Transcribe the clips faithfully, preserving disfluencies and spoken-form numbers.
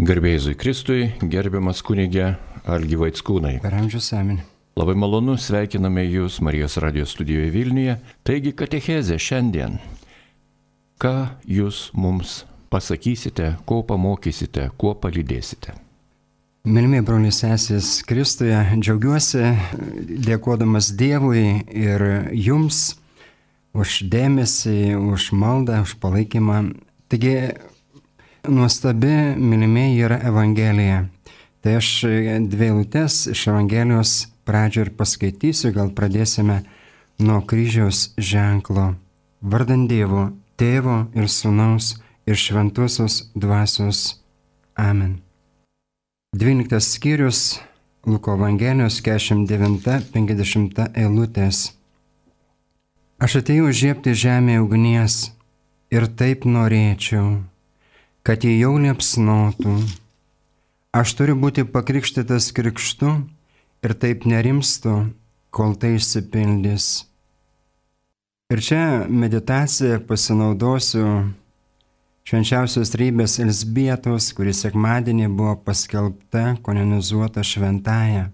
Garbė Jėzui Kristui, gerbiamas kunigė Algi Vaickūnai. Per amžius amen. Labai malonu, sveikiname Jūs Marijos radijos studijoje Vilniuje. Taigi katechezė šiandien. Ką Jūs mums pasakysite, ko pamokysite, kuo palydėsite? Mylimi broliai sesės Kristuje, džiaugiuosi dėkodamas Dievui ir Jums už dėmesį, už maldą, už palaikymą. Taigi, nuostabi, mylimieji, yra Evangelija. Tai aš dvi eilutes iš Evangelijos pradžio ir paskaitysiu, gal pradėsime nuo kryžiaus ženklo. Vardant Dievo, Tėvo ir Sūnaus ir Šventosios Dvasios. Amen. dvyliktas skyrius Luko Evangelijos keturiasdešimt devinta penkiasdešimta eilutės. Aš atėjau žiebti žemėje ugnies ir taip norėčiau, kad jį jau liepsnotų. Aš turiu būti pakrikštytas krikštu ir taip nerimstu, kol tai išsipildys. Ir čia meditaciją pasinaudosiu švenčiausios trejybės Elzbietos, kuri sekmadienį buvo paskelbta, kanonizuota šventąja.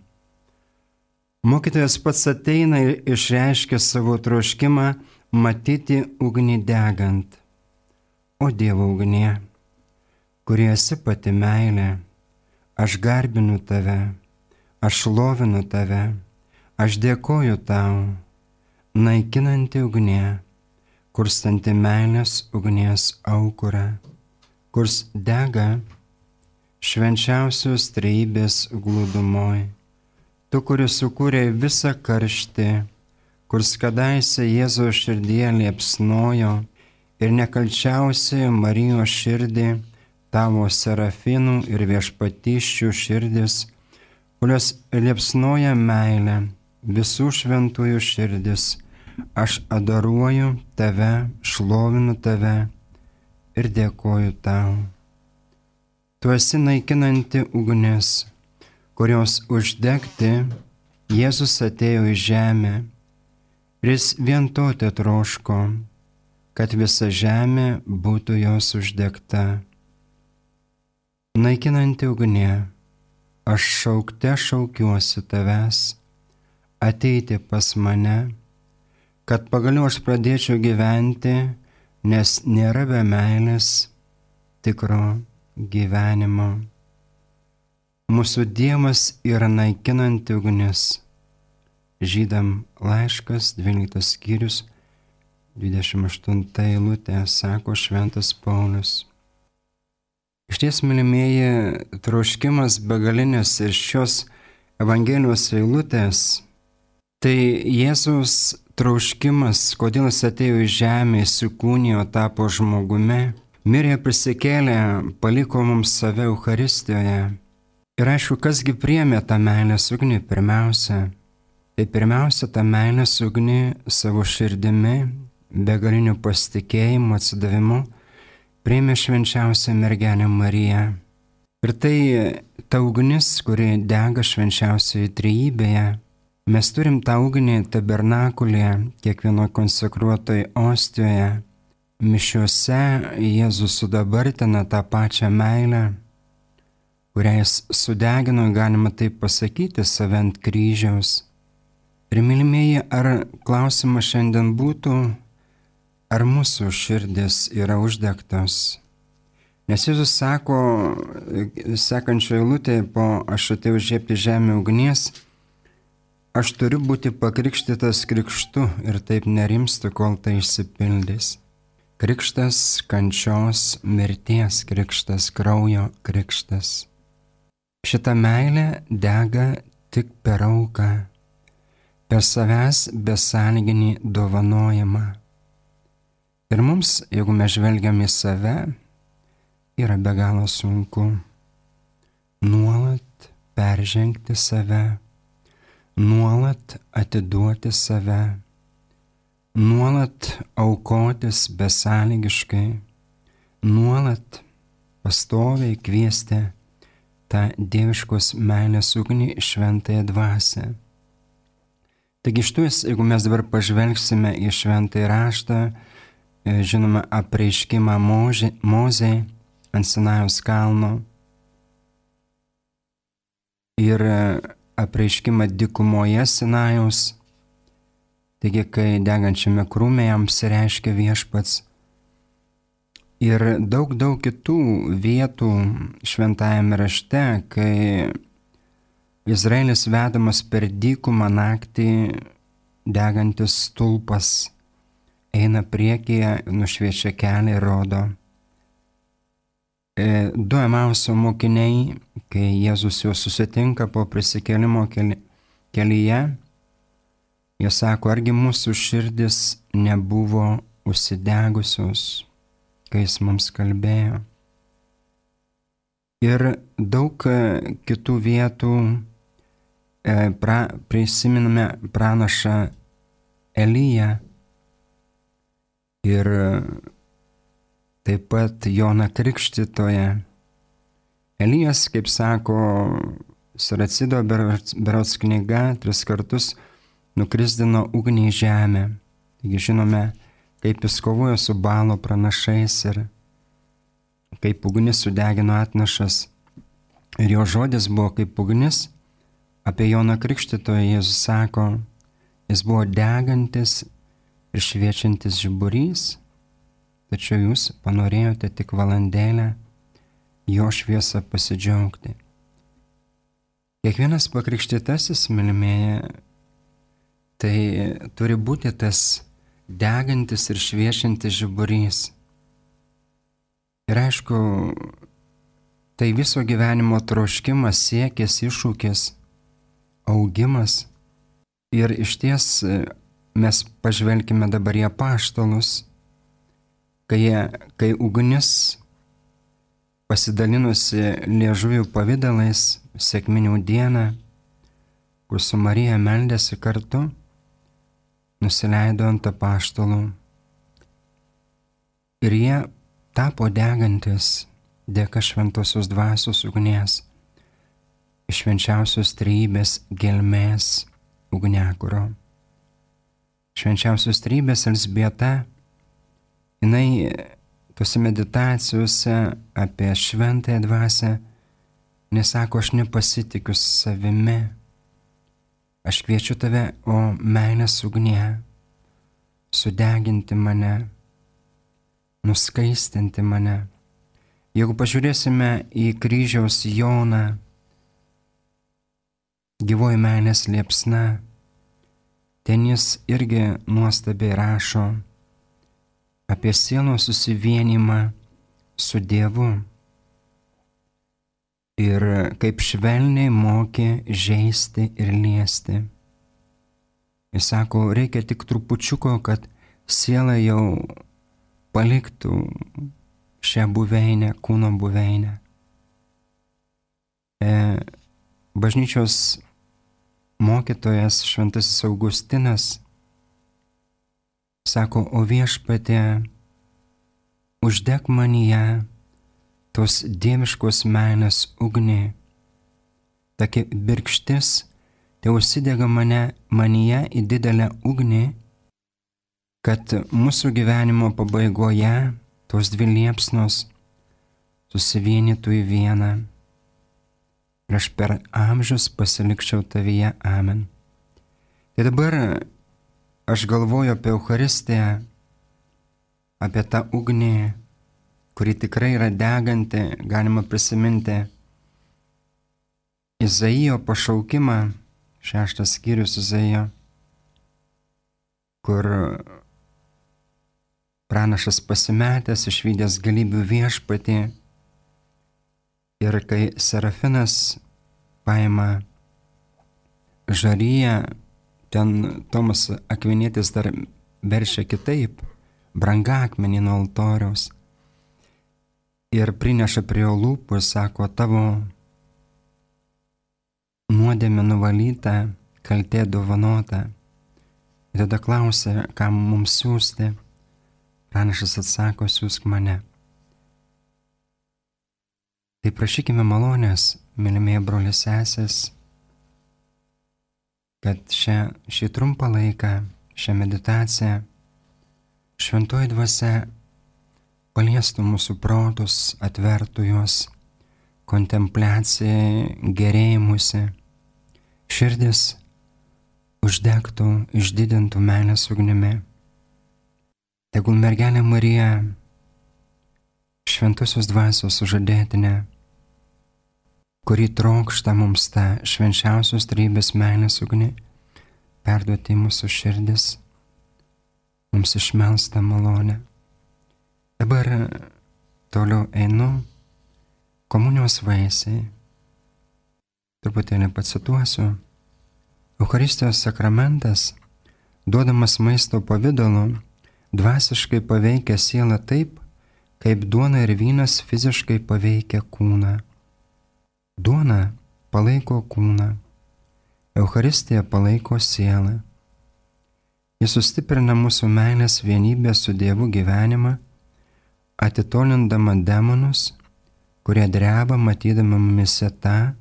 Mokytojas pats ateina ir išreiškia savo troškimą matyti ugnį degant. O Dievo ugnie, kurie esi pati meilė, aš garbinu tave, aš šlovinu tave, aš dėkoju tau, naikinanti ugnie, kurstanti meilės ugnies aukurą, kurs dega švenčiausios trejybės glūdumoj. Tu, kuris sukūrė visą karštį, kurs kadaise Jėzaus širdyje liepsnojo ir nekalčiausiai Marijos širdį, tavo serafinų ir viešpatyščių širdis, kurios liepsnoja meilę, visų šventųjų širdis, aš adoruoju tave, šlovinu tave ir dėkoju tau. Tu esi naikinanti ugnis, kurios uždegti Jėzus atėjo į žemę ir jis vien to tetroško, kad visa žemė būtų jos uždegta. Naikinanti ugnie, aš šaukte šaukiuosi tavęs, ateiti pas mane, kad pagaliau aš pradėčiau gyventi, nes nėra be meilės tikro gyvenimo. Mūsų Dievas yra naikinanti ugnis. Žydam laiškas, dvyliktas skyrius, dvidešimt aštunta eilutė, sako šventas Paulius. Išties, mylimieji, troškimas begalinis ir šios Evangelijos eilutės, tai Jėzaus troškimas, kodėl jis atėjo į žemę, įsikūnijo, tapo žmogumi, mirė, prisikėlė, paliko mums save Eucharistijoje. Ir aišku, kasgi priėmė tą meilės ugnį pirmiausia? Tai pirmiausia, tą meilės ugnį savo širdimi, begaliniu pasitikėjimu, atsidavimu, priėmė švenčiausią mergelę Mariją. Ir tai ta ugnis, kuri dega švenčiausioje trejybėje. Mes turim tą ugnį tabernakulėje, kiekvienoje konsekruotoje ostijoje. Mišiuose Jėzus sudabartina tą pačią meilę, kurią jis sudegino, galima taip pasakyti, save ant kryžiaus. Ir mylimieji, ar klausimas šiandien būtų, ar mūsų širdis yra uždegtos? Nes Jėzus sako, sekančioje eilutėje, po aš atėjau žiebti žemę ugnies, aš turiu būti pakrikštytas krikštu ir taip nerimstu, kol tai išsipildys. Krikštas kančios, mirties krikštas, kraujo krikštas. Šita meilė dega tik per auką, per savęs besąlyginį dovanojimą. Ir mums, jeigu mes žvelgiam į save, yra be galo sunku nuolat peržengti save, nuolat atiduoti save, nuolat aukotis besąlygiškai, nuolat pastoviai kviesti tą dieviškos meilės ugnį šventąją dvasią. Taigi štuos, jeigu mes dabar pažvelgsime į šventąjį raštą, žinoma, apreiškimą Mozei ant Sinajaus kalno, ir apreiškimą dykumoje Sinajaus, taigi kai degančiame krūme jam apsireiškia Viešpats, ir daug daug kitų vietų šventajame rašte, kai Izraelis vedamas per dykumą naktį, degantis stulpas eina priekyje, nušviečia kelią ir rodo. E, du Emauso mokiniai, kai Jėzus jau susitinka po prisikėlimo keli, kelyje, jie sako, argi mūsų širdis nebuvo užsidegusios, kai jis mums kalbėjo. Ir daug kitų vietų e, pra, prisiminame pranašą Eliją ir taip pat Joną Krikštytoją. Elijas, kaip sako Siracido berods knyga, tris kartus nukrisdino ugnį į žemę. Taigi žinome, kaip jis kovojo su Baalo pranašais ir kaip ugnis sudegino atnašas. Ir jo žodis buvo kaip ugnis. Apie Joną Krikštytoją Jėzus sako, jis buvo degantis ir šviečiantis žiburys, tačiau jūs panorėjote tik valandėlę jo šviesą pasidžiaugti. Kiekvienas pakrikštytasis, mylimieji, tai turi būti tas degantis ir šviečiantis žiburys. Ir aišku, tai viso gyvenimo troškimas, siekis, iššūkis, augimas. Ir išties mes pažvelkime dabar į apaštalus, kai, kai ugnis pasidalinusi liežuvių pavidalais sekminių dieną, kur su Marija meldėsi kartu, nusileido ant apaštalų. Ir jie tapo degantis dėka šventosios dvasios ugnies, iš švenčiausios trejybės gelmės ugniakuro. Švenčiausios trejybės Elzbieta, jinai tose meditacijose apie šventąją dvasią nesako, aš nepasitikiu savimi, aš kviečiu tave, o meilės ugnie, sudeginti mane, nuskaistinti mane. Jeigu pažiūrėsime į kryžiaus Joną, gyvoji meilės liepsna, ten jis irgi nuostabiai rašo apie sielos susivienimą su Dievu ir kaip švelniai mokė žeisti ir liesti. Jis sako, reikia tik trupučiuko, kad siela jau paliktų šią buveinę, kūno buveinę. E, bažnyčios mokytojas šventasis Augustinas sako, o Viešpatie, uždek manyje tos dieviškos meilės ugnį, tokia birkštis, tai užsidega mane, manyje į didelę ugnį, kad mūsų gyvenimo pabaigoje tos dvi liepsnos susivienytų į vieną. Ir aš per amžius pasilikčiau tavyje. Amen. Tai dabar aš galvoju apie Eucharistiją, apie tą ugnį, kuri tikrai yra deganti. Galima prisiminti Izaijo pašaukimą, šeštas skyrius Izaijo, kur pranašas pasimetęs, išvydęs galybių viešpatį, ir kai Serafinas paima žaryją, ten Tomas Akvinietis dar veršia kitaip, brangakmenį nuo altoriaus, ir prineša prie jo lūpų ir sako, tavo nuodėmė nuvalyta, kaltė dovanota. Ir tada klausia, kam mums siųsti. Pranašas atsako, siūsk mane. Tai prašykime malonės, mylimieji broliai sesės, kad šią, šį trumpą laiką, šią meditaciją, šventoji dvasia paliestų mūsų protus, atvertų juos, kontempliacijai, gerėjimusi, širdis uždegtų, išdidintų meilės ugnimi. Tegul mergelė Marija, šventosios dvasios sužadėtinė, kuri trokšta mums tą švenčiausios trejybės meilės ugnį, perduoti mūsų širdis, mums išmelstą malonę. Dabar toliau einu komunijos vaisiai. Truputėlį pacituosiu. Eucharistijos sakramentas, duodamas maisto pavidalu, dvasiškai paveikia sielą taip, kaip duona ir vynas fiziškai paveikia kūną. Duona palaiko kūną, Eucharistija palaiko sielą. Jis sustiprina mūsų meilės vienybę su Dievu gyvenimą, atitolindama demonus, kurie dreba matydama mumise tą,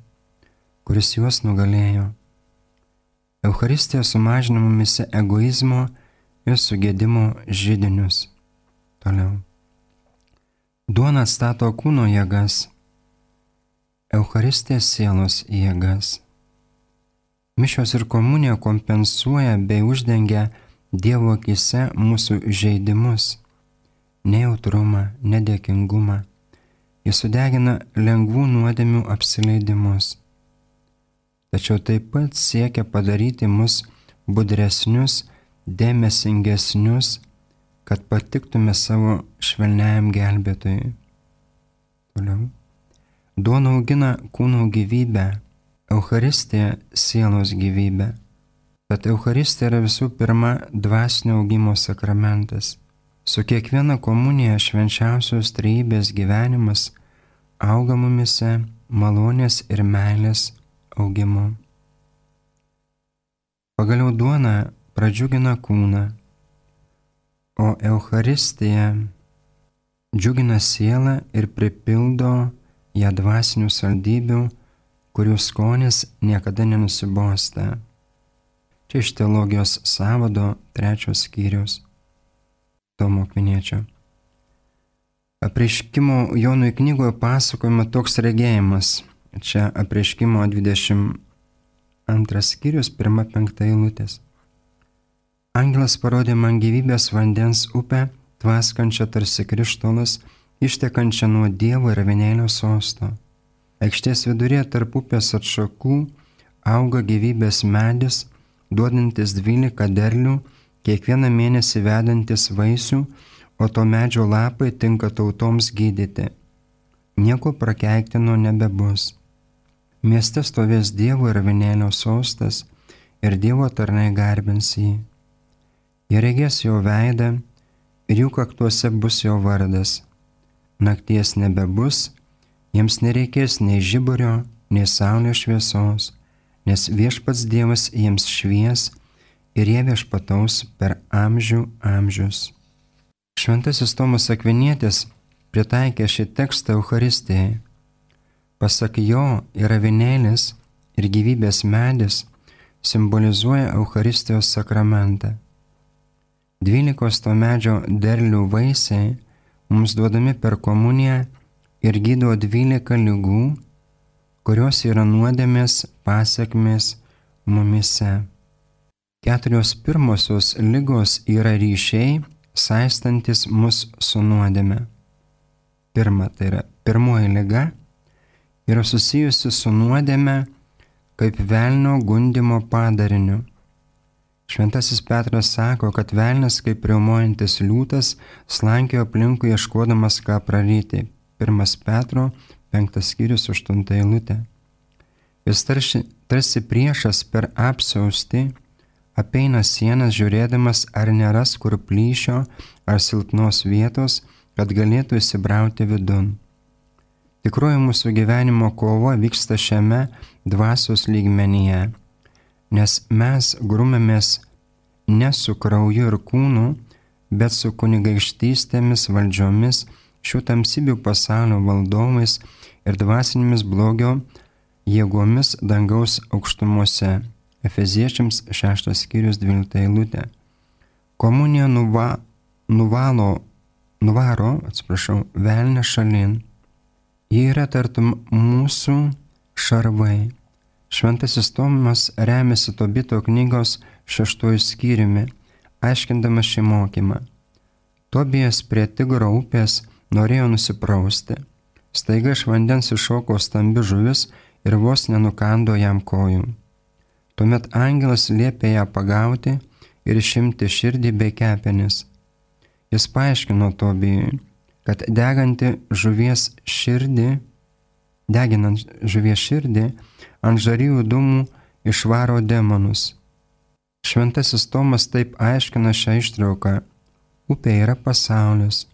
kuris juos nugalėjo. Eucharistija sumažina mumise egoizmo ir sugėdimo židinius. Toliau. Duona atstato kūno jėgas, Eucharistija sielos jėgas. Mišios ir komunija kompensuoja bei uždengia Dievo akyse mūsų žeidimus, nejautrumą, nedėkingumą. Jis sudegina lengvų nuodėmių apsileidimus. Tačiau taip pat siekia padaryti mus budresnius, dėmesingesnius, kad patiktume savo švelniajam gelbėtojui. Toliau. Duona augina kūno gyvybę, Eucharistija sielos gyvybę. Tad Eucharistija yra visų pirma dvasinio augimo sakramentas. Su kiekviena komunija švenčiausios trejybės gyvenimas auga mumise malonės ir meilės augimu. Pagaliau duona pradžiugina kūną, o Eucharistija džiugina sielą ir pripildo ją dvasinių saldybių, kurių skonis niekada nenusibosta. Čia iš teologijos sąvado trečios skyrius. Tomo Akviniečio. Apreiškimo Jonui knygoje pasakojama toks regėjimas. Čia apreiškimo dvidešimt antras skyrius, pirma penkta eilutės. Angelas parodė man gyvybės vandens upę, tvaskančią tarsi krištolas, ištekančią nuo Dievo ir avinėlio sosto. Aikštės vidurėje tarp upės atšakų auga gyvybės medis, duodantis dvylika derlių, kiekvieną mėnesį vedantis vaisių, o to medžio lapai tinka tautoms gydyti. Nieko prakeiktino nebebus. Mieste stovės Dievo ir avinėlio sostas ir Dievo tarnai garbins jį. Jie regės jo veidą ir jų kaktuose bus jo vardas. Nakties nebebus, jiems nereikės nei žiburio, nei saulės šviesos, nes viešpats Dievas jiems švies ir jie viešpataus per amžių amžius. Šventasis Tomas Akvinietis pritaikė šį tekstą Eucharistijai. Pasak jo, ir avinėlis, ir gyvybės medis simbolizuoja Eucharistijos sakramentą. Dvylikos to medžio derlių vaisiai mums duodami per komuniją ir gydo dvylika ligų, kurios yra nuodėmės pasekmės mumise. Keturios pirmosios ligos yra ryšiai, saistantis mus su nuodėme. Pirma, tai yra pirmoji liga, yra susijusi su nuodėme kaip velnio gundymo padariniu. Šventasis Petras sako, kad velnias kaip riaumojantis liūtas slankiojo aplinkui ieškodamas ką praryti. Pirmas Petro, penktas skyrius, aštunta eilutė. Jis tarsi, tarsi priešas per apsiaustį apeina sienas žiūrėdamas, ar neras kur plyšio ar silpnos vietos, kad galėtų įsibrauti vidun. Tikroji mūsų gyvenimo kova vyksta šiame dvasios lygmenyje, nes mes grumėmės ne su krauju ir kūnu, bet su kunigaikštystėmis, valdžiomis, šių tamsybių pasaulio valdovais ir dvasinėmis blogio jėgomis dangaus aukštumose. Efeziečiams šeštas skyrius dvylikta eilutė. Komunija nuva, nuvalo, nuvaro, atsiprašau, velnę šalin. Jie yra tartum mūsų šarvai. Šventasis Tomas remiasi Tobito knygos šeštuoju skyriumi, aiškindamas šį mokymą. Tobijas prie Tigro upės norėjo nusiprausti. Staiga iš vandens iššoko stambi žuvis ir vos nenukando jam kojų. Tuomet angelas liepė ją pagauti ir išimti širdį bei kepenis. Jis paaiškino Tobijui, kad deganti žuvies širdį, deginant žuvies širdį, ant žarijų dūmų išvaro demonus. Šventasis Tomas taip aiškina šią ištrauką. Upė yra pasaulis,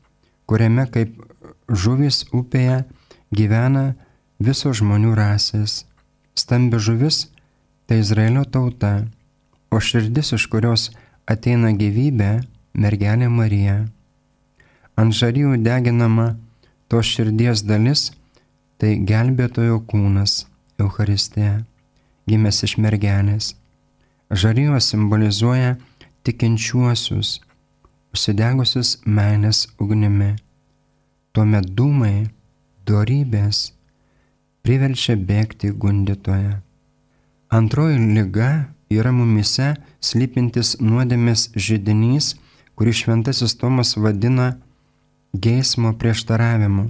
kuriame kaip žuvis upėje gyvena visos žmonių rasės. Stambi žuvis tai Izraelio tauta, o širdis, iš kurios ateina gyvybė, mergelė Marija. Ant žarijų deginama tos širdies dalis, tai gelbėtojo kūnas, Eucharistija, gimęs iš mergelės. Žarijos simbolizuoja tikinčiuosius, užsidegusius meilės ugnimi. Tuomet dūmai, dorybės priverčia bėgti gundytoją. Antroji liga yra mumyse slypintis nuodėmės židinys, kurį Šventasis Tomas vadina geismo prieštaravimu.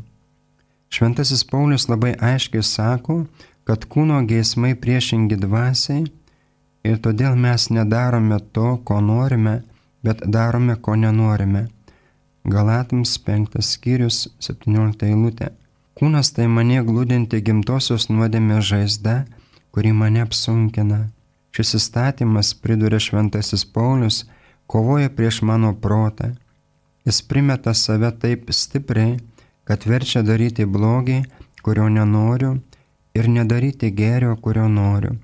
Šventasis Paulius labai aiškiai sako, kad kūno geismai priešingi dvasiai ir todėl mes nedarome to, ko norime, bet darome, ko nenorime. Galatams penktas skyrius, septyniolikta eilutė. Kūnas tai mane glūdinti gimtosios nuodėmės žaizda, kuri mane apsunkina. Šis įstatymas, priduria Šventasis Paulius, kovoja prieš mano protą. Jis primeta save taip stipriai, kad verčia daryti blogį, kurio nenoriu, ir nedaryti gėrio, kurio noriu.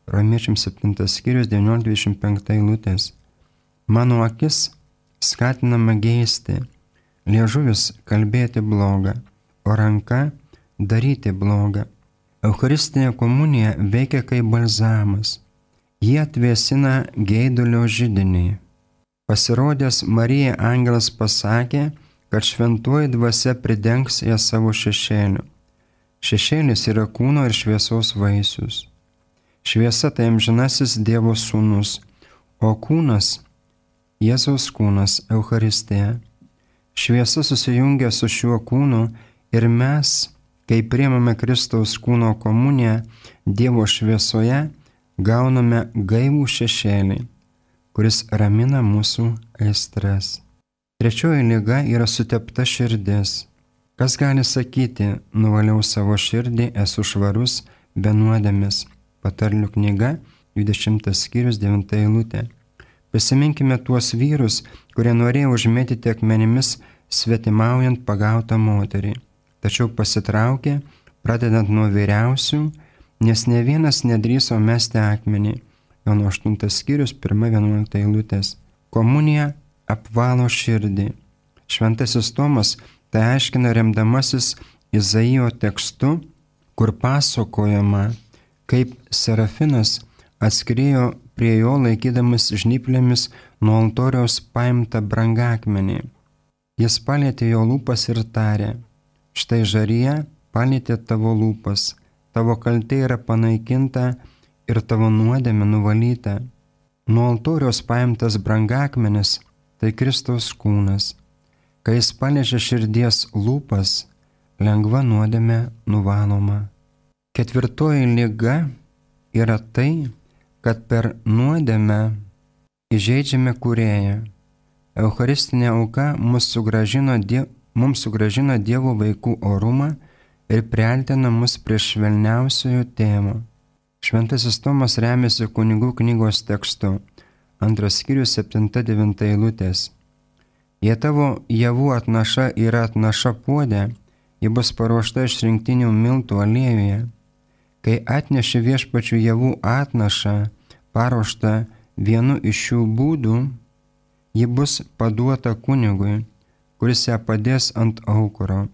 Romiečiams septintas skyrius, devyniolikta dvidešimt penkta eilutės. Mano akis skatinama geisti, liežuvis kalbėti blogą, o ranka daryti blogą. Eucharistinė komunija veikia kaip balzamas. Jie atvėsina geidulio židinį. Pasirodęs Marijai angelas pasakė, kad šventoji dvasia pridengs ją savo šešėliu. Šešėlis yra kūno ir šviesos vaisius. Šviesa tai amžinasis Dievo sūnus, o kūnas Jėzaus kūnas, Eucharistija. Šviesa susijungia su šiuo kūnu ir mes, kai priimame Kristaus kūno komuniją Dievo šviesoje, gauname gaivų šešėlį, kuris ramina mūsų aistras. Trečioji liga yra sutepta širdis. Kas gali sakyti, nuvaliau savo širdį, esu švarus, be nuodėmės. Patarlių knyga, dvidešimtas skyrius, devinta eilutė. Prisiminkime tuos vyrus, kurie norėjo užmėtyti akmenimis svetimaujant pagautą moterį, tačiau pasitraukė, pradedant nuo vyriausių, nes ne vienas nedrįso mesti akmenį. Jono aštuntas skyrius, pirma vienuolikta eilutės. Komunija apvalo širdį. Šventasis Tomas tai aiškina remdamasis Izaijo tekstu, kur pasakojama, kaip Serafinas atskriejo prie jo laikydamas žnyplėmis nuo altoriaus paimtą brangakmenį. Jis palietė jo lūpas ir tarė, štai žarija palietė tavo lūpas, tavo kaltė yra panaikinta ir tavo nuodėmė nuvalyta. Nuo altoriaus paimtas brangakmenis tai Kristaus kūnas. Kai jis paliečia širdies lūpas, lengva nuodėmė nuvaloma. Ketvirtoji liga yra tai, kad per nuodėmę įžeidžiame Kūrėją. Eucharistinė auka mums sugrąžino, die, mums sugrąžino Dievo vaikų orumą ir priartina mus prie švelniausiojo tėvo. Šventasis Tomas remiasi kunigų knygos tekstu, antras skyrius, septinta devinta eilutės. Jei tavo javų atnaša yra atnaša puode, ji bus paruošta iš rinktinių miltų aliejuje. Kai atneši viešpačių javų atnašą, paruoštą vienu iš šių būdų, ji bus paduota kunigui, kuris ją padės ant aukuro.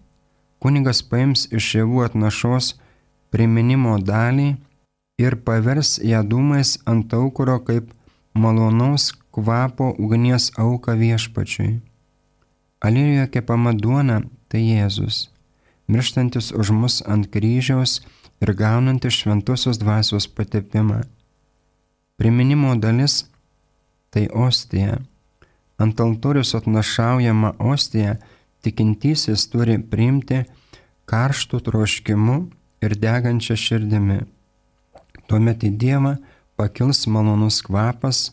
Kunigas paims iš javų atnašos priminimo dalį ir pavers ją dūmais ant aukuro kaip malonaus kvapo ugnies auką viešpačiui. Aliejuje kepama duona tai Jėzus. mirštantis už mus ant kryžiaus ir gaunantis šventosios dvasios patepimą. Priminimo dalis – tai ostija. Ant altorius atnašaujama ostija tikintysis turi priimti karštų troškimu ir degančia širdimi. Tuomet į Dievą pakils malonus kvapas,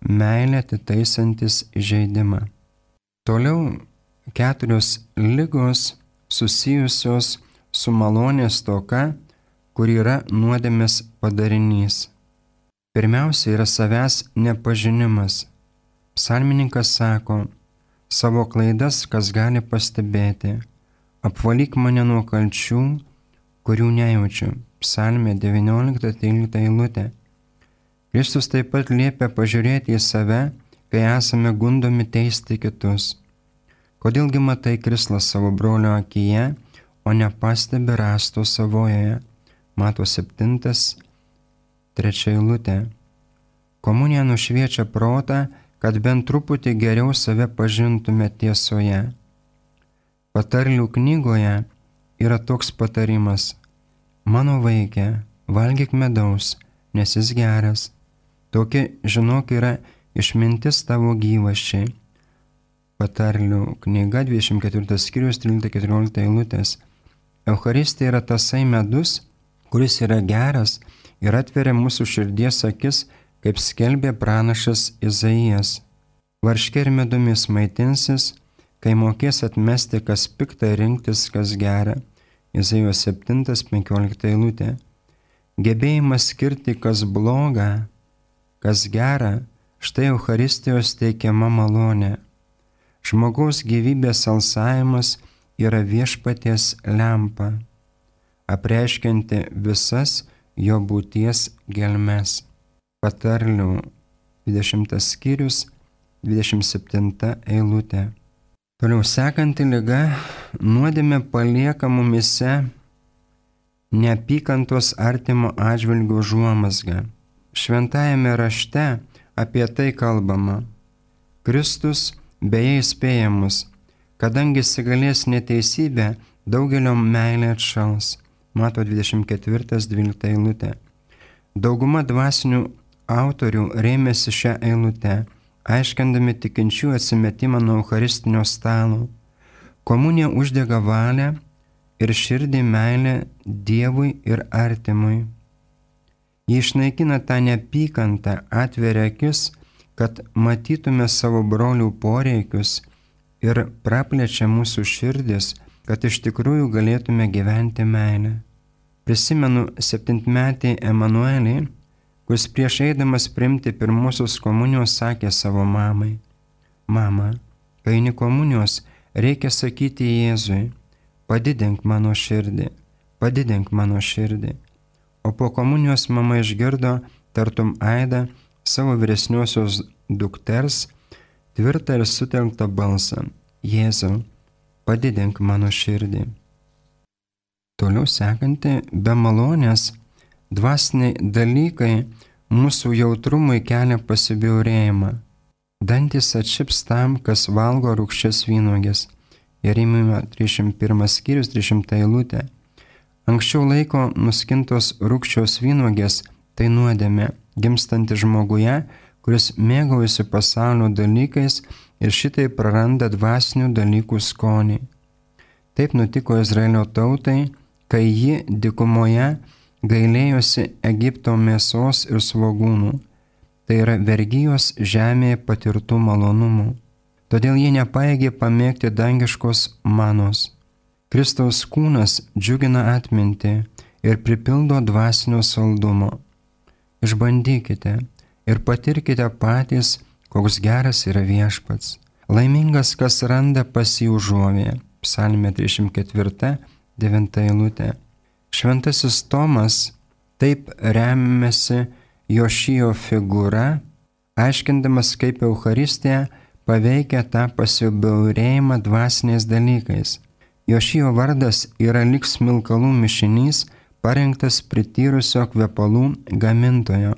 meilė atitaisantis įžeidimą. Toliau keturios ligos susijusios su malonės stoka, kur yra nuodėmės padarinys. Pirmiausia yra savęs nepažinimas. Psalmininkas sako, savo klaidas kas gali pastebėti, apvalyk mane nuo kalčių, kurių nejaučiu. Psalmė devyniolika trylikta eilutė. Kristus taip pat liepia pažiūrėti į save, kai esame gundomi teisti kitus. Kodėlgi matai krislą savo brolio akyje, o nepastebi rąsto savojoje? Mato septintas, trečia eilutė. Komunija nušviečia protą, kad bent truputį geriau save pažintume tiesoje. Patarlių knygoje yra toks patarimas. Mano vaike, valgyk medaus, nes jis geras. Tokia, žinok, yra išmintis tavo gyvaščiai. Patarlių knyga dvidešimt ketvirtas skyrius trylikta keturiolikta eilutės. Eucharistija yra tasai medus, kuris yra geras ir atveria mūsų širdies akis, kaip skelbė pranašas Izaijas. Varške ir medumis maitinsis, kai mokės atmesti, kas pikta, rinktis, kas gera. Izaijos septintas penkiolikta eilutė. Gebėjimas skirti, kas bloga, kas gera, štai Eucharistijos teikiama malonė. Žmogaus gyvybės alsavimas yra viešpaties lempa, apreiškianti visas jo būties gelmes. Patarlių dvidešimtas skyrius, dvidešimt septinta eilutė. Toliau sekanti liga – nuodėmė palieka mumyse neapykantos artimo atžvilgių užuomazgą. Šventajame rašte apie tai kalbama. Kristus beje įspėja mus, kadangi įsigalės neteisybė, daugelio meilė atšals. Mato dvidešimt ketvirtas dvylikta eilutė. Dauguma dvasinių autorių rėmėsi šią eilutę, aiškindami tikinčių atsimetimą nuo eucharistinio stalo. Komunija uždega valią ir širdį meilę Dievui ir artimui. Ji išnaikina tą neapykantą, atveria akis, kad matytume savo brolių poreikius ir praplečia mūsų širdis, kad iš tikrųjų galėtume gyventi meilę. Prisimenu septintmetį Emanuelį, kuris prieš eidamas priimti pirmosios komunijos sakė savo mamai: Mama, kai eini komunijos, reikia sakyti Jėzui: padidink mano širdį, padidink mano širdį. O po komunijos mama išgirdo tartum aidą savo vyresniosios dukters tvirtą ir sutelktą balsą: Jėzau, padidink mano širdį. Toliau sekanti, be malonės, dvasiniai dalykai mūsų jautrumui kelia pasibjaurėjimą. Dantis atšips tam, kas valgo rūgščias vynuogės. Jeremijo trisdešimt pirmas skyrius, trisdešimta eilutė. Anksčiau laiko nuskintos rūgščios vynuogės tai nuodėmė, gimstanti žmoguje, kuris mėgaujasi pasaulio dalykais ir šitai praranda dvasinių dalykų skonį. Taip nutiko Izraelio tautai, kai ji dykumoje gailėjosi Egipto mėsos ir svogūnų, tai yra vergijos žemėje patirtų malonumų. Todėl jie nepaėgė pamėgti dangiškos manos. Kristaus kūnas džiugina atmintį ir pripildo dvasinio saldumo. Išbandykite ir patirkite patys, koks geras yra viešpats. Laimingas, kas randa pas jį užuovėją. Psalmė trisdešimt ketvirta, devinta eilutė. Šventasis Tomas taip remiasi Jošijo figūra, aiškindamas, kaip Eucharistija paveikia tą pasibjaurėjimą dvasiniais dalykais. Jošijo vardas yra lyg smilkalų mišinys, parengtas prityrusio kvepalų gamintojo.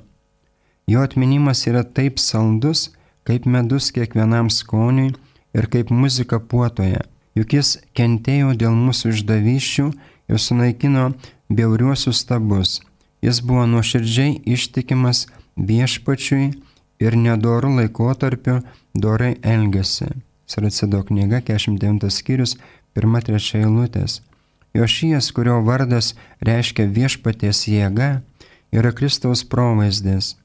Jo atminimas yra taip saldus, kaip medus kiekvienam skoniui ir kaip muzika puotoje. juk jis kentėjo dėl mūsų išdavysčių ir sunaikino bjauriuosius stabus. Jis buvo nuoširdžiai ištikimas viešpačiui ir nedorų laikotarpiu dorai elgėsi. Siracido knyga, keturiasdešimt devintas skyrius, pirma trečia eilutės. Jošijas, kurio vardas reiškia viešpaties jėga, yra Kristaus provaizdis.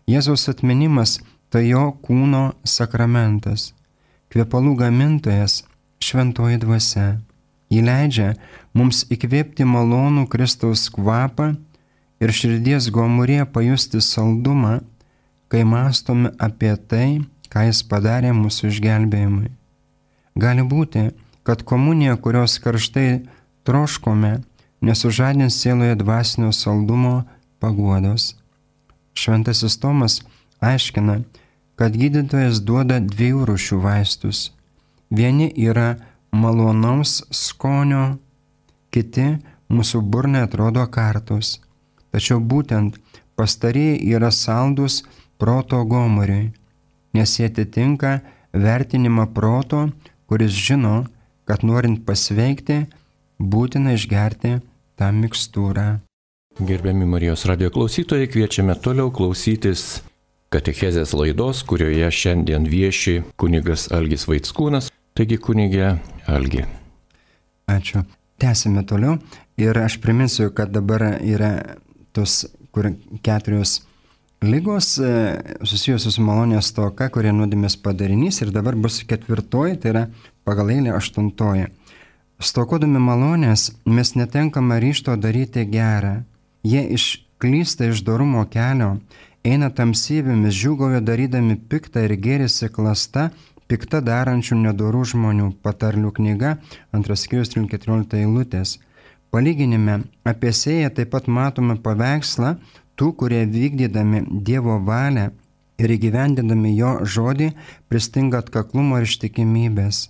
Jėzaus atminimas tai jo kūno sakramentas. Kvepalų gamintojas šventoji dvasia. Ji leidžia mums įkvėpti malonų Kristaus kvapą ir širdies gomurėje pajusti saldumą, kai mąstome apie tai, ką jis padarė mūsų išgelbėjimui. Gali būti, kad komunija, kurios karštai troškome, nesužadins sieloje dvasinio saldumo paguodos. Šventasis Tomas aiškina, kad gydytojas duoda dviejų rūšių vaistus. Vieni yra malonaus skonio, kiti mūsų burnai atrodo kartus. Tačiau būtent pastarieji yra saldus proto gomuriui, nes jie atitinka vertinimą proto, kuris žino, kad norint pasveikti, būtina išgerti tą mikstūrą. Gerbiami Marijos radijo klausytojai, kviečiame toliau klausytis katechezės laidos, kurioje šiandien vieši kunigas Algis Vaickūnas. Taigi, kunigė Algi. Ačiū. Tęsime toliau ir aš priminsiu, kad dabar yra tos kur keturios lygos susijusios su malonės stoka, kurie nuodėmės padarinys, ir dabar bus ketvirtoji, tai yra pagal eilę aštuntoji. Stokodami malonės mes netenkame ryžto daryti gerą. Jie išklysta iš dorumo kelio, eina tamsybėmis, džiūgauja darydami piktą ir gėrisi klasta, pikta darančių nedorų žmonių. Patarlių knyga, antras skyrius, keturiolikta eilutės. Palyginime apie sėją taip pat matome paveikslą tų, kurie vykdydami Dievo valią ir įgyvendindami jo žodį pristinga atkaklumo ir ištikimybės.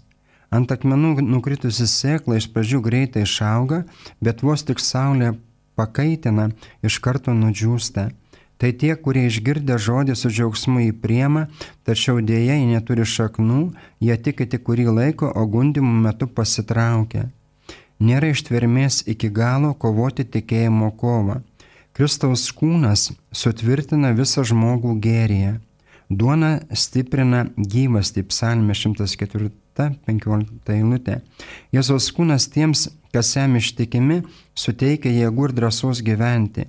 Ant akmenų nukritusi sėkla iš pradžių greitai išauga, bet vos tik saulė pakaitina, iš karto nudžiūsta. Tai tie, kurie išgirdę žodį su džiaugsmu jį priema, tačiau dėja jie neturi šaknų, jie tiki tik kurį laiką, o gundymų metu pasitraukia. Nėra ištvermės iki galo kovoti tikėjimo kovą. Kristaus kūnas sutvirtina visą žmogų gėryje. Duona stiprina gyvastį, psalmė šimtas ketvirta penkiolikta eilutė. Jėzaus kūnas tiems, kas jam ištikimi, suteikia jėgų ir drąsos gyventi.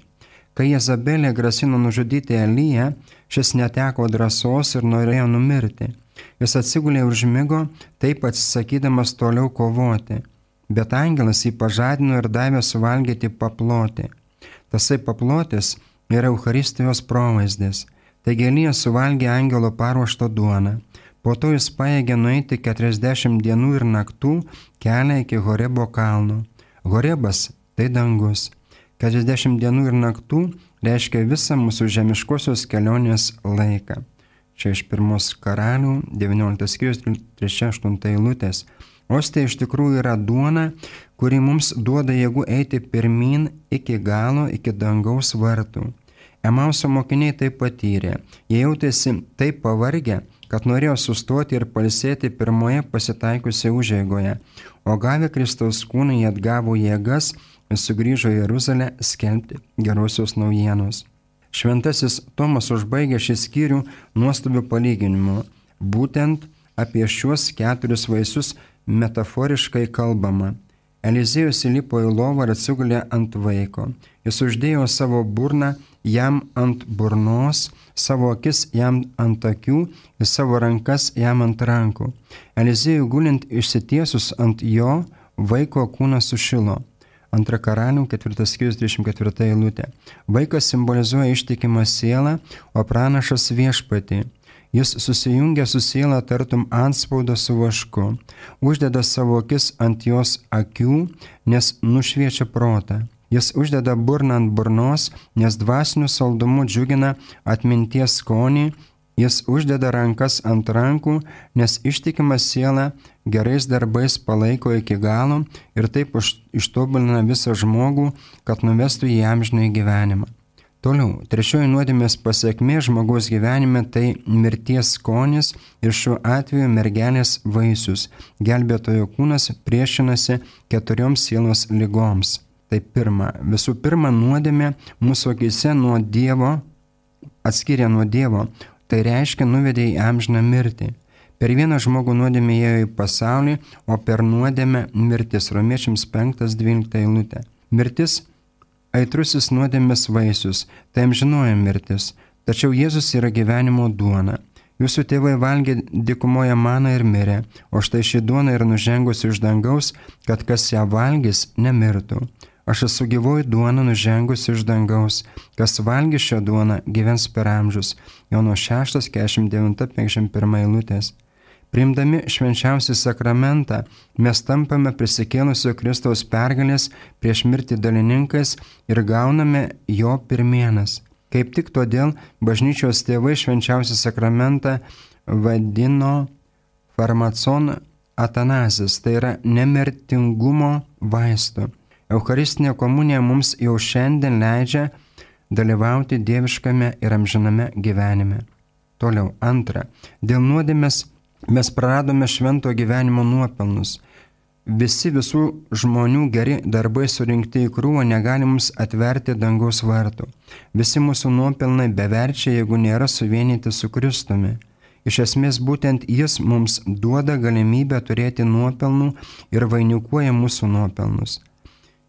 Kai Jezabelė grasino nužudyti Eliją, šis neteko drąsos ir norėjo numirti. Jis atsigulė ir užmigo, taip atsisakydamas toliau kovoti. Bet angelas jį pažadino ir davė suvalgyti paplotį. Tasai paplotis yra Eucharistijos provaizdis. Taigi Elijas suvalgė angelo paruoštą duoną. Po to jis pajėgė nueiti keturiasdešimt dienų ir naktų kelią iki Horebo kalno. Horebas tai dangus. keturiasdešimt dienų ir naktų reiškia visą mūsų žemiškosios kelionės laiką. Čia iš pirmos karalių, devynioliktas skyrius, trečia aštunta eilutės. Ostė iš tikrųjų yra duona, kuri mums duoda jėgų eiti pirmin iki galo, iki dangaus vartų. Emauso mokiniai tai patyrė. Jie jautėsi taip pavargę, kad norėjo sustoti ir pailsėti pirmoje pasitaikusioje užeigoje, o gavę Kristaus kūną jie atgavo jėgas ir sugrįžo į Jeruzalę skelbti gerosios naujienos. Šventasis Tomas užbaigė šį skyrių nuostabiu palyginimu. Būtent apie šiuos keturis vaisius metaforiškai kalbama. Eliziejus įlipo į lovą ir atsigulė ant vaiko. Jis uždėjo savo burną jam ant burnos, savo akis jam ant akių ir savo rankas jam ant rankų. Eliziejui gulint išsitiesus ant jo, vaiko kūnas sušilo. Antra karalių, ketvirtas skyrius, dvidešimt ketvirta eilutė. Vaikas simbolizuoja ištikimą sielą, o pranašas viešpatį. Jis susijungia su siela tartum antspaudą su vašku, uždeda savo akis ant jos akių, nes nušviečia protą. Jis uždeda burną ant burnos, nes dvasiniu saldumu džiugina atminties skonį. Jis uždeda rankas ant rankų, nes ištikima siela gerais darbais palaiko iki galo ir taip ištobulina visą žmogų, kad nuvestų į amžinąjį gyvenimą. Toliau, trečioji nuodėmės pasiekmė žmogaus gyvenime tai mirties skonis ir šiuo atveju mergelės vaisius. Gelbėtojo kūnas priešinasi keturioms sielos lygoms. Tai pirma, visų pirma, nuodėmė mūsų akyse nuo Dievo, atskiria nuo Dievo, tai reiškia nuvedė į amžiną mirtį. Per vieną žmogų nuodėmė ėjo į pasaulį, o per nuodėmę mirtis. Romiečiams penktas dvylikta eilutė. Mirtis aitrusis nuodėmės vaisius, tai amžinoji mirtis. Tačiau Jėzus yra gyvenimo duona. Jūsų tėvai valgė dykumoje maną ir mirė, o štai ši duona yra nužengusi iš dangaus, kad kas ją valgys, nemirtų. Aš esu gyvoji duona nužengusi iš dangaus, kas valgys šią duoną, gyvens per amžius. Jono šeštas keturiasdešimt devinta penkiasdešimt pirma eilutės. Priimdami švenčiausią sakramentą, mes tampame prisikėlusio Kristaus pergalės prieš mirtį dalininkais ir gauname jo pirmienas. Kaip tik todėl bažnyčios tėvai švenčiausią sakramentą vadino farmacon atanazis, tai yra nemirtingumo vaistu. Eucharistinė komunija mums jau šiandien leidžia dalyvauti dieviškame ir amžiname gyvenime. Toliau, antra, dėl nuodėmės mes praradome švento gyvenimo nuopelnus. Visi visų žmonių geri darbai surinkti į krūvą negali mums atverti dangaus vartų. Visi mūsų nuopelnai beverčiai, jeigu nėra suvienyti su Kristumi. Iš esmės būtent jis mums duoda galimybę turėti nuopelnų ir vainikuoja mūsų nuopelnus.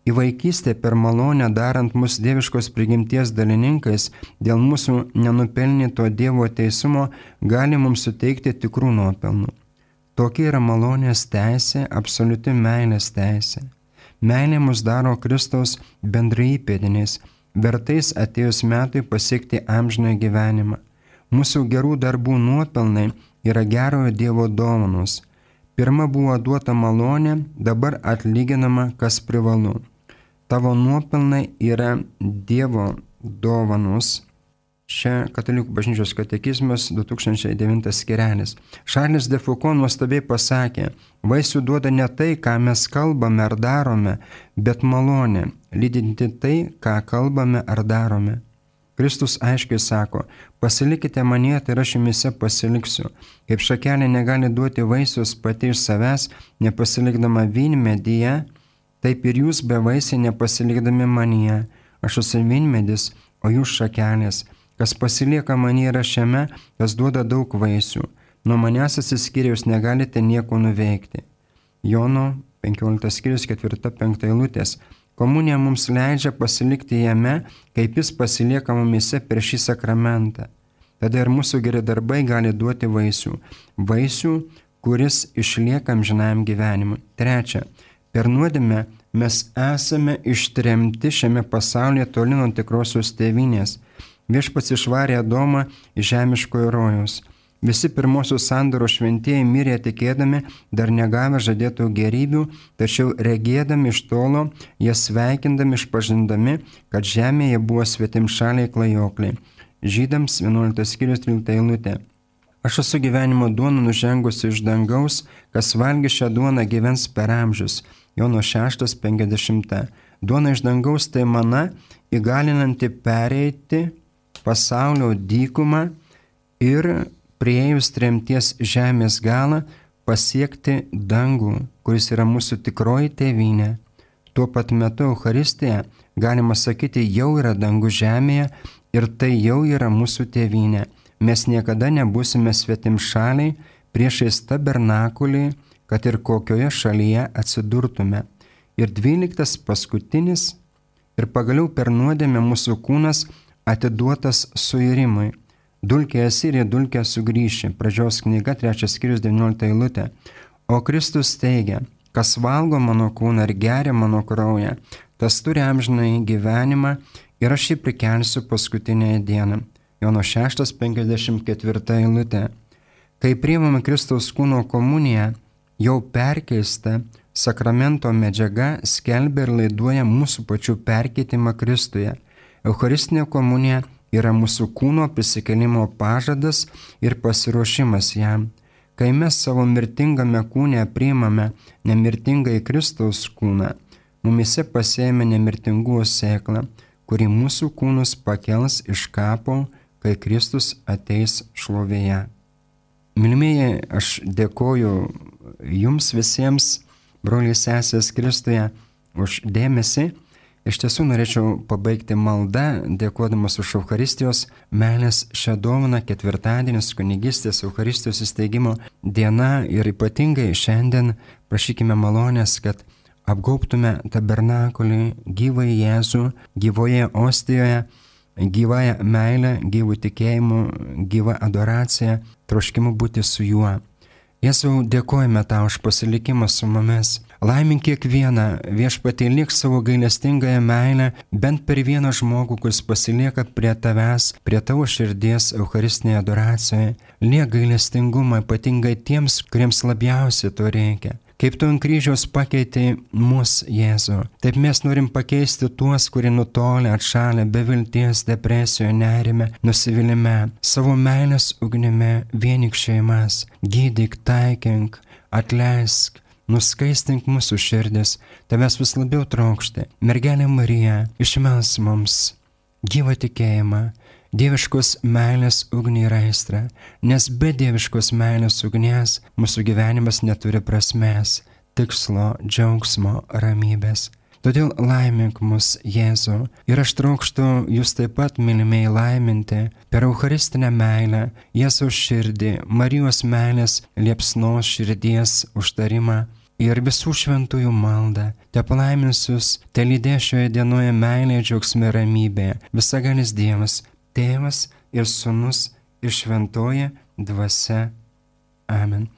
Į vaikystę per malonę darant mus dieviškos prigimties dalininkais, dėl mūsų nenupelnyto Dievo teisumo gali mums suteikti tikrų nuopelnų. Tokia yra malonės teisė, absoliuti meilės teisė. Meilė mus daro Kristaus bendraįpėdiniais, vertais atėjus metui pasiekti amžiną gyvenimą. Mūsų gerų darbų nuopelnai yra gerojo Dievo dovanos. Pirma buvo duota malonė, dabar atlyginama, kas privalu. Tavo nuopelnai yra Dievo dovanos. Čia Katalikų bažnyčios katekizmas du tūkstančiai devintas skirelis. Šarlis de Foucault nuostabiai pasakė, vaisių duoda ne tai, ką mes kalbame ar darome, bet malonė, lydinti tai, ką kalbame ar darome. Kristus aiškiai sako, pasilikite manyje, tai aš jumise pasiliksiu. Kaip šakelė negali duoti vaisius pati iš savęs, nepasilikdama vynmedyje, taip ir jūs bevaisiai nepasilikdami manyje. Aš esu vynmedis, o jūs šakelės. Kas pasilieka manyje yra šiame, kas duoda daug vaisių. Nuo manęs atsiskyrę jūs negalite nieko nuveikti. Jono penkioliktas skyrius ketvirta penkta eilutės. Komunija mums leidžia pasilikti jame, kaip jis pasilieka mumise per šį sakramentą. Tada ir mūsų geri darbai gali duoti vaisių. Vaisių, kuris išlieka amžinajam gyvenimui. Trečia, per nuodėmę mes esame ištremti šiame pasaulyje toli nuo tikrosios tėvynės. Viešpats išvarė Adomą iš žemiškojo rojaus. Visi pirmosios sandoros šventieji mirė tikėdami, dar negavę žadėtų gerybių, tačiau regėdami iš tolo, jie sveikindami, išpažindami, kad žemėje buvo svetimšaliai klajokliai. Žydams vienuoliktas skyrius trylikta eilutė. Aš esu gyvenimo duona nužengusi iš dangaus, kas valgys šią duoną gyvens per amžius. Jono šeštas penkiasdešimta. Duona iš dangaus tai mana, įgalinanti pereiti pasaulio dykumą ir priėjus tremties žemės galą pasiekti dangų, kuris yra mūsų tikroji tėvynė. Tuo pat metu Eucharistija, galima sakyti, jau yra dangų žemėje ir tai jau yra mūsų tėvynė. Mes niekada nebūsime svetimšaliai priešais tabernakulį, kad ir kokioje šalyje atsidurtume. Ir dvyliktas paskutinis ir pagaliau per nuodėmę mūsų kūnas atiduotas suirimui. Dulkė esi ir į dulkę sugrįši. Pradžios knyga, trečias skyrius, devyniolikta eilutė. O Kristus teigia, kas valgo mano kūną ir geria mano kraują, tas turi amžinąjį gyvenimą ir aš jį prikelsiu paskutinėje dieną. Jono šeštas penkiasdešimt ketvirta eilutė. Kai priimame Kristaus kūno komuniją, jau perkeista sakramento medžiaga skelbia ir laiduoja mūsų pačių perkeitimą Kristuje. Eucharistinė komunija yra mūsų kūno prisikėlimo pažadas ir pasiruošimas jam. Kai mes savo mirtingame kūne priimame nemirtingąjį Kristaus kūną, mumise pasėjame nemirtingųjų sėklą, kuri mūsų kūnus pakels iš kapo, kai Kristus ateis šlovėje. Mylimieji, aš dėkoju jums visiems, broliai sesės Kristuje, už dėmesį. Iš tiesų norėčiau pabaigti maldą, dėkodamas už Eucharistijos meilės šią dovaną, ketvirtadienis, kunigystės Eucharistijos įsteigimo diena ir ypatingai šiandien prašykime malonės, kad apgaubtume tabernakulį, gyvąjį Jėzų, gyvoje ostijoje, gyvąją meilę, gyvų tikėjimu, gyvą adoraciją, troškimu būti su juo. Jėzau, dėkojame tau už pasilikimą su mumis. Laimink kiekvieną, viešpatie, liek savo gailestingąją meilę bent per vieną žmogų, kuris pasilieka prie tavęs, prie tavo širdies Eucharistinėje adoracijoje. Liek gailestingumą ypatingai tiems, kuriems labiausiai to reikia. Kaip tu ant kryžiaus pakeitei mus, Jėzų, taip mes norim pakeisti tuos, kurie nutolę, atšalę, be vilties, depresijoje, nerime, nusivylime, savo meilės ugnimi vienyk šeimas, gydyk, taikink, atleisk, nuskaistink mūsų širdis, tavęs vis labiau trokšti. Mergelė Marija, išmels mums gyvą tikėjimą, dieviškos meilės ugnį ir aistrą, nes be dieviškos meilės ugnies mūsų gyvenimas neturi prasmės, tikslo, džiaugsmo, ramybės. Todėl laimink mus, Jėzų, ir aš trokštu jūs taip pat, mylimieji, laiminti per Eucharistinę meilę, Jėzaus širdį, Marijos meilės liepsnos širdies užtarimą ir visų šventųjų maldą. Te palaiminsius, te lydės šioje dienoje meilė, džiaugsme, ramybė, visagalis Dievas, Tėvas ir Sūnus ir Šventoji Dvasia. Amen.